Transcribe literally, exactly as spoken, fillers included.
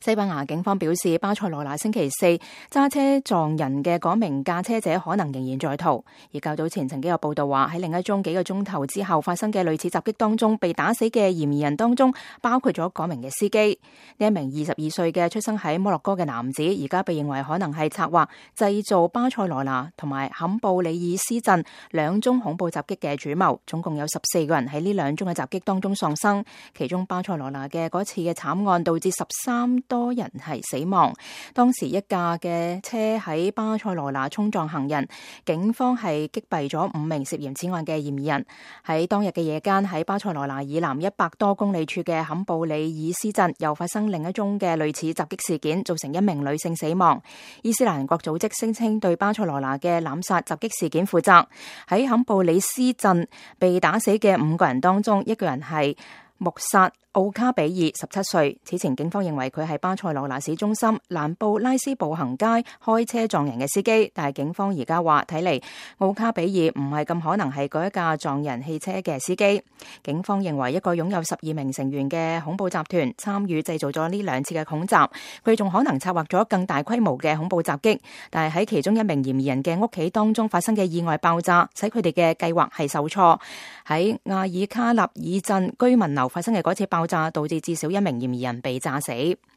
西班牙警方表示，巴塞羅那星期四揸車撞人嘅嗰名駕車者可能仍然在逃。而較早前曾經有報道話，喺另一宗幾個鐘頭之後發生嘅類似襲擊當中，被打死嘅嫌疑人當中包括咗嗰名嘅司機。呢一名二十二歲嘅出生喺摩洛哥嘅男子，而家被認為可能係策劃製造巴塞羅那同埋坎布里爾斯鎮兩宗恐怖襲擊嘅主謀。總共有十四個人喺呢兩宗嘅襲擊當中喪生，其中巴塞羅那嘅嗰次嘅慘案導致十三多人係死亡。當時一架嘅車喺巴塞羅那衝撞行人，警方係擊斃咗五名涉嫌此案嘅嫌疑人。喺當日嘅夜間，喺巴塞羅那以南一百多公里處嘅坎布里爾斯鎮又發生另一宗嘅類似襲擊事件，造成一名女性死亡。伊斯蘭國組織聲稱對巴塞羅那嘅濫殺襲擊事件負責。喺坎布里斯鎮被打死嘅五個人當中，一個人係穆薩奧卡比爾，十七歲。此前警方認為佢係巴塞羅那市中心蘭布拉斯步行街開車撞人嘅司機，但係警方而家話睇嚟奧卡比爾唔係咁可能係嗰一架撞人汽車嘅司機。警方認為一個擁有十二名成員嘅恐怖集團參與製造咗呢兩次嘅恐襲，佢仲可能策劃咗更大規模嘅恐怖襲擊。但係喺其中一名嫌疑人嘅屋企當中發生嘅意外爆炸，使佢哋嘅計劃係受挫。喺亞爾卡納爾鎮居民樓發生嘅嗰次爆炸，導致至少一名嫌疑人被炸死。